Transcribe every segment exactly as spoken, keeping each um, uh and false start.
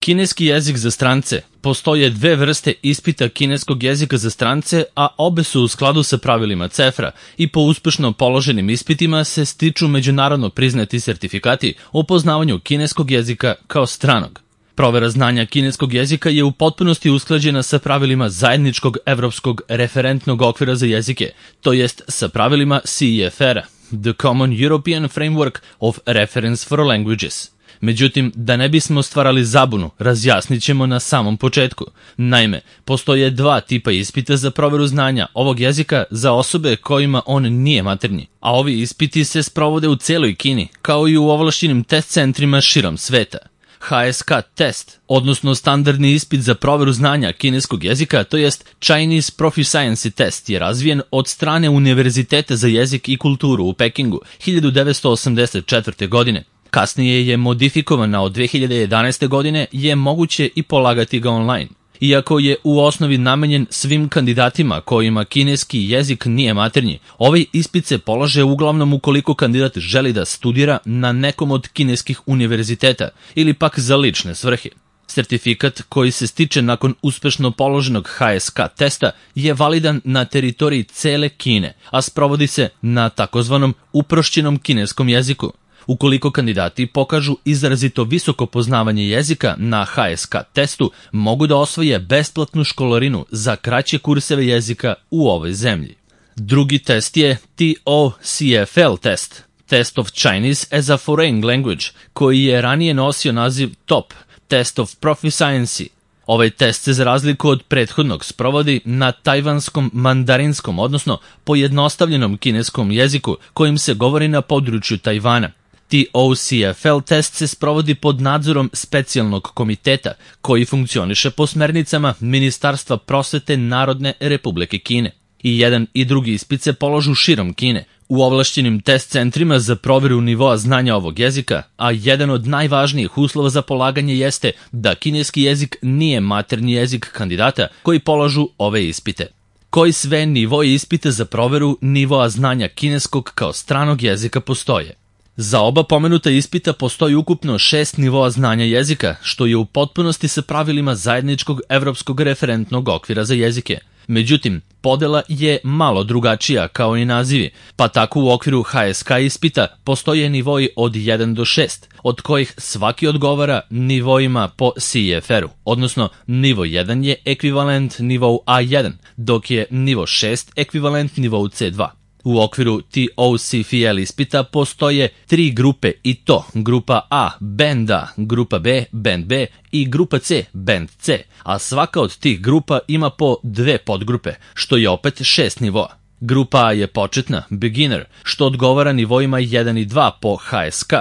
Kineski jezik za strance. Postoje dve vrste ispita kineskog jezika za strance, a obe su u skladu sa pravilima CEFRA i po uspešno položenim ispitima se stiču međunarodno priznati sertifikati o poznavanju kineskog jezika kao stranog. Provera znanja kineskog jezika je u potpunosti usklađena sa pravilima zajedničkog evropskog referentnog okvira za jezike, to jest sa pravilima C E F R-a, The Common European Framework of Reference for Languages. Međutim, da ne bismo stvarali zabunu, razjasnit ćemo na samom početku. Naime, postoje dva tipa ispita za proveru znanja ovog jezika za osobe kojima on nije maternji, a ovi ispiti se sprovode u celoj Kini, kao i u ovlašćenim test centrima širom sveta. H S K test, odnosno standardni ispit za proveru znanja kineskog jezika, to jest Chinese Proficiency Test, je razvijen od strane Univerziteta za jezik i kulturu u Pekingu hiljadu devetsto osamdeset četvrte. godine. Kasnije je modifikovan, a od dve hiljade jedanaeste. godine je moguće i polagati ga online. Iako je u osnovi namenjen svim kandidatima kojima kineski jezik nije maternji, ovaj ispit se polaže uglavnom ukoliko kandidat želi da studira na nekom od kineskih univerziteta ili pak za lične svrhe. Sertifikat koji se stiče nakon uspešno položenog H S K testa je validan na teritoriji cele Kine, a sprovodi se na takozvanom uprošćenom kineskom jeziku. Ukoliko kandidati pokažu izrazito visoko poznavanje jezika na H S K testu, mogu da osvoje besplatnu školarinu za kraće kurseve jezika u ovoj zemlji. Drugi test je T O C F L test, Test of Chinese as a Foreign Language, koji je ranije nosio naziv T O P, Test of Proficiency. Ovaj test se za razliku od prethodnog sprovodi na tajvanskom mandarinskom, odnosno pojednostavljenom kineskom jeziku kojim se govori na području Tajvana. T O C F L test se sprovodi pod nadzorom specijalnog komiteta koji funkcioniše po smernicama Ministarstva prosvete Narodne Republike Kine. I jedan i drugi ispit se polažu širom Kine, u ovlašćenim test centrima za proveru nivoa znanja ovog jezika, a jedan od najvažnijih uslova za polaganje jeste da kineski jezik nije maternji jezik kandidata koji polažu ove ispite. Koji sve nivoji ispita za proveru nivoa znanja kineskog kao stranog jezika postoje? Za oba pomenuta ispita postoji ukupno šest nivoa znanja jezika, što je u potpunosti sa pravilima zajedničkog evropskog referentnog okvira za jezike. Međutim, podela je malo drugačija kao i nazivi, pa tako u okviru H S K ispita postoje nivoji od jedan do šest, od kojih svaki odgovara nivoima po C E F R-u, odnosno nivo jedan je ekvivalent nivou A jedan, dok je nivo šest ekvivalent nivou C dva. U okviru T O C F L ispita postoje tri grupe i to grupa A, Band A, grupa B, Band B i grupa C, Band C, a svaka od tih grupa ima po dve podgrupe, što je opet šest nivoa. Grupa A je početna, Beginner, što odgovara nivoima jedan i dva po H S K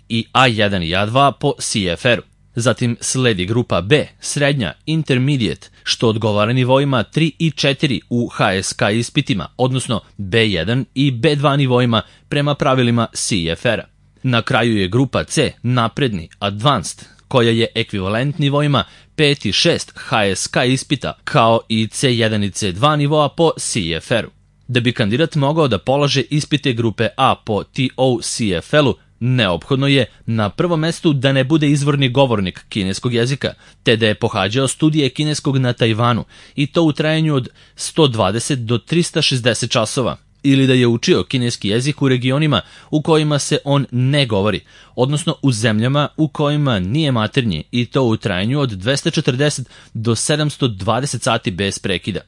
i A jedan i A dva po C F R-u. Zatim sledi grupa B, srednja, Intermediate, što odgovara nivoima tri i četiri u H S K ispitima, odnosno B jedan i B dva nivoima prema pravilima C F R-a. Na kraju je grupa C, napredni, Advanced, koja je ekvivalent nivoima pet i šest H S K ispita, kao i C jedan i C dva nivoa po C F R-u. Da bi kandidat mogao da polaže ispite grupe A po T O C F L-u, neophodno je na prvom mestu da ne bude izvorni govornik kineskog jezika, te da je pohađao studije kineskog na Tajvanu i to u trajanju od sto dvadeset do trista šezdeset časova, ili da je učio kineski jezik u regionima u kojima se on ne govori, odnosno u zemljama u kojima nije maternji i to u trajanju od dvesta četrdeset do sedamsto dvadeset sati bez prekida.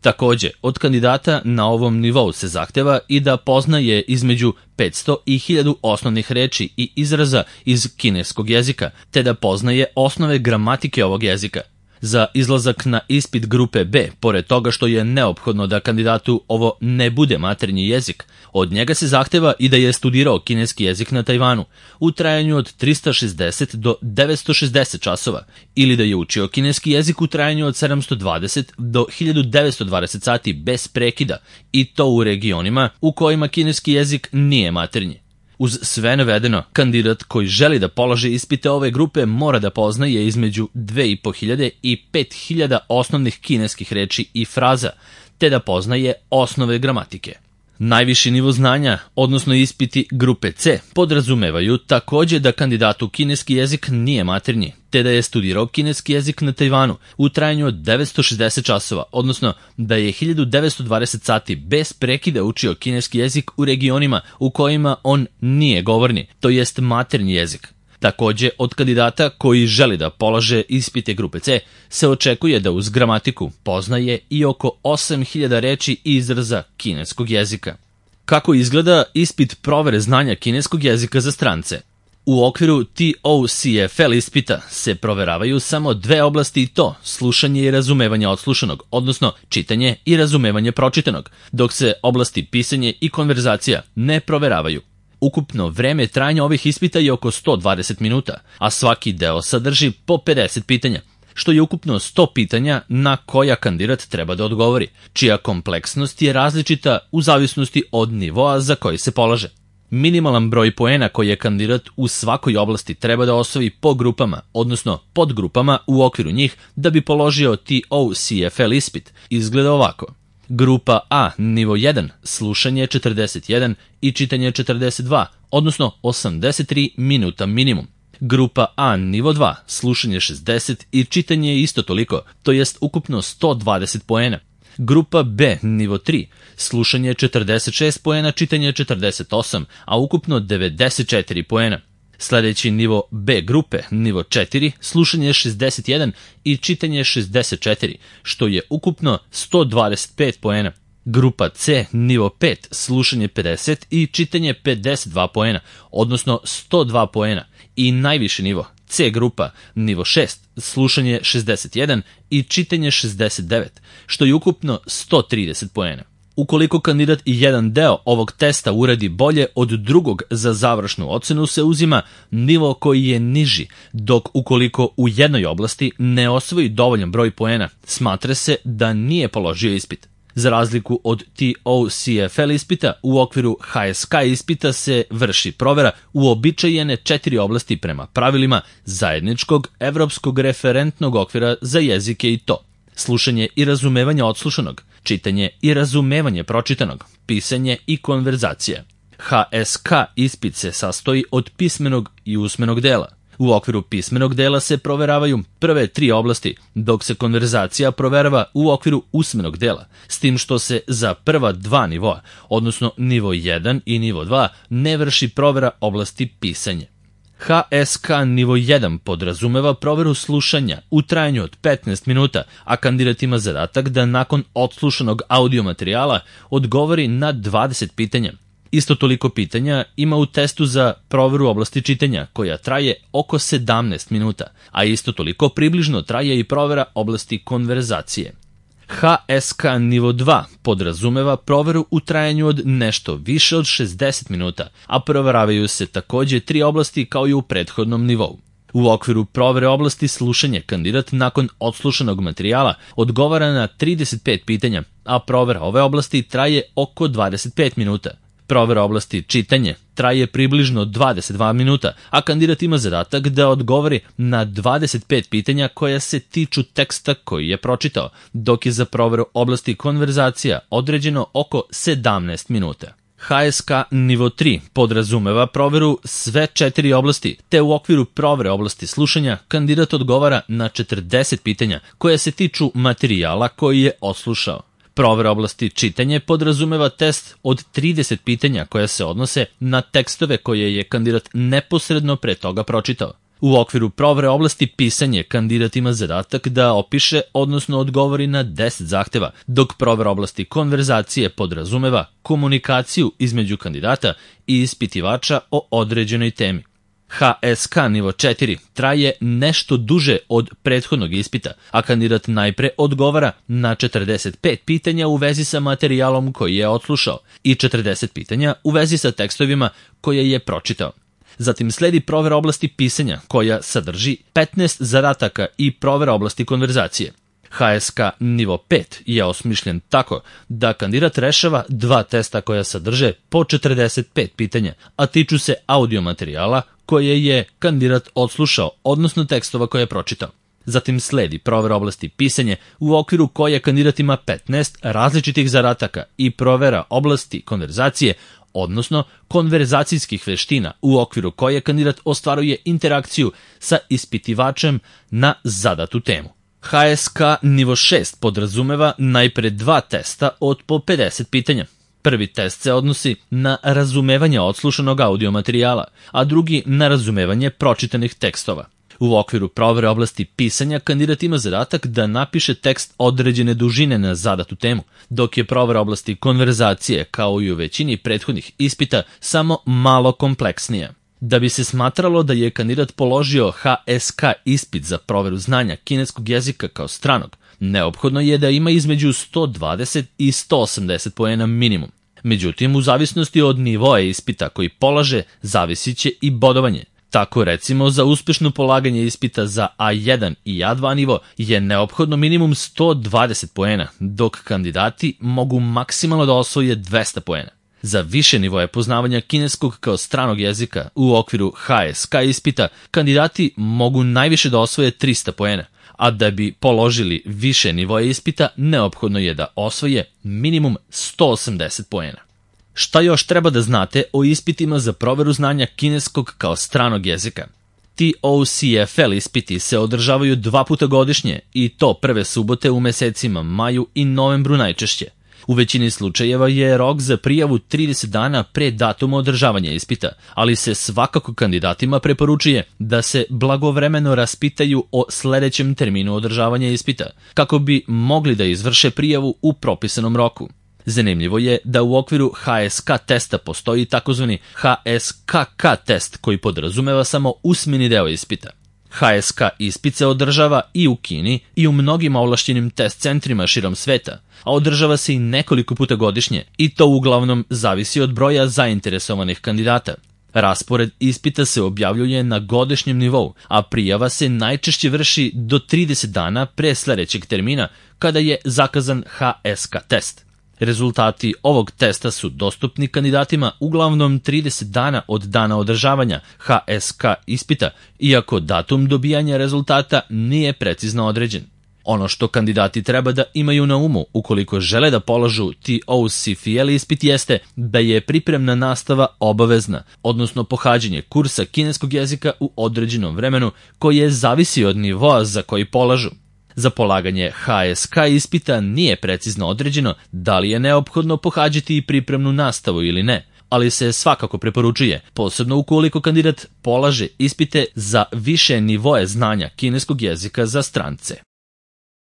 Takođe, od kandidata na ovom nivou se zahteva i da poznaje između petsto i hiljadu osnovnih reči i izraza iz kineskog jezika, te da poznaje osnove gramatike ovog jezika. Za izlazak na ispit grupe B, pored toga što je neophodno da kandidatu ovo ne bude maternji jezik, od njega se zahteva i da je studirao kineski jezik na Tajvanu u trajanju od trista šezdeset do devetsto šezdeset časova, ili da je učio kineski jezik u trajanju od sedamsto dvadeset do hiljadu devetsto dvadeset sati bez prekida i to u regionima u kojima kineski jezik nije maternji. Uz sve navedeno, kandidat koji želi da polaže ispite ove grupe mora da poznaje između dve i po hiljade i pet hiljada osnovnih kineskih reči i fraza, te da poznaje osnove gramatike. Najviši nivo znanja, odnosno ispiti grupe C, podrazumevaju takođe da kandidatu kineski jezik nije maternji, te da je studirao kineski jezik na Tajvanu u trajanju od devetsto šezdeset časova, odnosno da je hiljadu devetsto dvadeset sati bez prekida učio kineski jezik u regionima u kojima on nije govorni, to jest maternji jezik. Takođe, od kandidata koji želi da polaže ispite grupe C se očekuje da uz gramatiku poznaje i oko osam hiljada reči i izraza kineskog jezika. Kako izgleda ispit provere znanja kineskog jezika za strance? U okviru T O C F L ispita se proveravaju samo dve oblasti i to slušanje i razumevanje odslušanog, odnosno čitanje i razumevanje pročitanog, dok se oblasti pisanje i konverzacija ne proveravaju. Ukupno vreme trajanja ovih ispita je oko sto dvadeset minuta, a svaki deo sadrži po pedeset pitanja, što je ukupno sto pitanja na koja kandidat treba da odgovori, čija kompleksnost je različita u zavisnosti od nivoa za koji se polaže. Minimalan broj poena koji je kandidat u svakoj oblasti treba da osvoji po grupama, odnosno podgrupama u okviru njih da bi položio T O C F L ispit, izgleda ovako. Grupa A, nivo jedan, slušanje četrdeset jedan i čitanje četrdeset dva, odnosno osamdeset tri minuta minimum. Grupa A, nivo dva, slušanje šezdeset i čitanje isto toliko, to jest ukupno sto dvadeset poena. Grupa B, nivo tri, slušanje četrdeset šest poena, čitanje četrdeset osam, a ukupno devedeset četiri poena. Sledeći nivo B grupe, nivo četiri, slušanje šezdeset jedan i čitanje šezdeset četiri, što je ukupno sto dvadeset pet poena. Grupa C, nivo pet, slušanje pedeset i čitanje pedeset dva poena, odnosno sto dva poena. I najviši nivo, C grupa, nivo šest, slušanje šezdeset jedan i čitanje šezdeset devet, što je ukupno sto trideset poena. Ukoliko kandidat i jedan deo ovog testa uradi bolje od drugog za završnu ocenu se uzima nivo koji je niži, dok ukoliko u jednoj oblasti ne osvoji dovoljan broj poena, smatra se da nije položio ispit. Za razliku od T O C F L ispita, u okviru H S K ispita se vrši provera uobičajene četiri oblasti prema pravilima zajedničkog evropskog referentnog okvira za jezike i to: slušanje i razumevanje odslušanog, čitanje i razumevanje pročitanog, pisanje i konverzacija. H S K ispit se sastoji od pismenog i usmenog dela. U okviru pismenog dela se proveravaju prve tri oblasti, dok se konverzacija proverava u okviru usmenog dela, s tim što se za prva dva nivoa, odnosno nivo jedan i nivo dva, ne vrši provera oblasti pisanje. H S K nivo jedan podrazumeva proveru slušanja u trajanju od petnaest minuta, a kandidat ima zadatak da nakon odslušanog audio materijala odgovori na dvadeset pitanja. Isto toliko pitanja ima u testu za proveru oblasti čitanja, koja traje oko sedamnaest minuta, a isto toliko približno traje i provera oblasti konverzacije. H S K nivo dva podrazumeva proveru u trajanju od nešto više od šezdeset minuta, a proveravaju se takođe tri oblasti kao i u prethodnom nivou. U okviru provere oblasti slušanja kandidat nakon odslušanog materijala odgovara na trideset pet pitanja, a provera ove oblasti traje oko dvadeset pet minuta. Provera oblasti čitanje traje približno dvadeset dva minuta, a kandidat ima zadatak da odgovori na dvadeset pet pitanja koja se tiču teksta koji je pročitao, dok je za proveru oblasti konverzacija određeno oko sedamnaest minuta. H S K nivo tri podrazumeva proveru sve četiri oblasti, te u okviru provere oblasti slušanja kandidat odgovara na četrdeset pitanja koja se tiču materijala koji je odslušao. Provera oblasti čitanje podrazumeva test od trideset pitanja koja se odnose na tekstove koje je kandidat neposredno pre toga pročitao. U okviru provere oblasti pisanje kandidat ima zadatak da opiše, odnosno odgovori na deset zahteva, dok provera oblasti konverzacije podrazumeva komunikaciju između kandidata i ispitivača o određenoj temi. H S K nivo četiri traje nešto duže od prethodnog ispita, a kandidat najpre odgovara na četrdeset pet pitanja u vezi sa materijalom koji je odslušao i četrdeset pitanja u vezi sa tekstovima koje je pročitao. Zatim sledi provera oblasti pisanja koja sadrži petnaest zadataka i provera oblasti konverzacije. H S K nivo pet je osmišljen tako da kandidat rešava dva testa koja sadrže po četrdeset pet pitanja, a tiču se audio materijala koje je kandidat odslušao, odnosno tekstova koje je pročitao. Zatim sledi provera oblasti pisanja u okviru koje kandidat ima petnaest različitih zadataka i provera oblasti konverzacije, odnosno konverzacijskih veština u okviru koje kandidat ostvaruje interakciju sa ispitivačem na zadatu temu. H S K nivo šest podrazumeva najpre dva testa od po pedeset pitanja. Prvi test se odnosi na razumevanje odslušanog audio materijala, a drugi na razumevanje pročitanih tekstova. U okviru provere oblasti pisanja kandidat ima zadatak da napiše tekst određene dužine na zadatu temu, dok je provera oblasti konverzacije, kao i u većini prethodnih ispita, samo malo kompleksnija. Da bi se smatralo da je kandidat položio H S K ispit za proveru znanja kineskog jezika kao stranog, neophodno je da ima između sto dvadeset i sto osamdeset poena minimum. Međutim, u zavisnosti od nivoa ispita koji polaže, zavisit će i bodovanje. Tako recimo, za uspešno polaganje ispita za A jedan i A dva nivo je neophodno minimum sto dvadeset poena, dok kandidati mogu maksimalno da osvoje dvesta poena. Za više nivoje poznavanja kineskog kao stranog jezika u okviru H S K ispita, kandidati mogu najviše da osvoje trista poena, a da bi položili više nivoje ispita, neophodno je da osvoje minimum sto osamdeset poena. Šta još treba da znate o ispitima za proveru znanja kineskog kao stranog jezika? T O C F L ispiti se održavaju dva puta godišnje i to prve subote u mesecima maju i novembru najčešće. U većini slučajeva je rok za prijavu trideset dana pre datuma održavanja ispita, ali se svakako kandidatima preporučuje da se blagovremeno raspitaju o sledećem terminu održavanja ispita, kako bi mogli da izvrše prijavu u propisanom roku. Zanimljivo je da u okviru H S K testa postoji takozvani H S K K test koji podrazumeva samo usmeni deo ispita. H S K ispit se održava i u Kini i u mnogim ovlašćenim test centrima širom sveta, a održava se i nekoliko puta godišnje i to uglavnom zavisi od broja zainteresovanih kandidata. Raspored ispita se objavljuje na godišnjem nivou, a prijava se najčešće vrši do trideset dana pre sledećeg termina kada je zakazan H S K test. Rezultati ovog testa su dostupni kandidatima uglavnom trideset dana od dana održavanja H S K ispita, iako datum dobijanja rezultata nije precizno određen. Ono što kandidati treba da imaju na umu ukoliko žele da polažu T O C F L ispit jeste da je pripremna nastava obavezna, odnosno pohađanje kursa kineskog jezika u određenom vremenu koje zavisi od nivoa za koji polažu. Za polaganje H S K ispita nije precizno određeno da li je neophodno pohađati i pripremnu nastavu ili ne, ali se svakako preporučuje, posebno ukoliko kandidat polaže ispite za više nivoe znanja kineskog jezika za strance.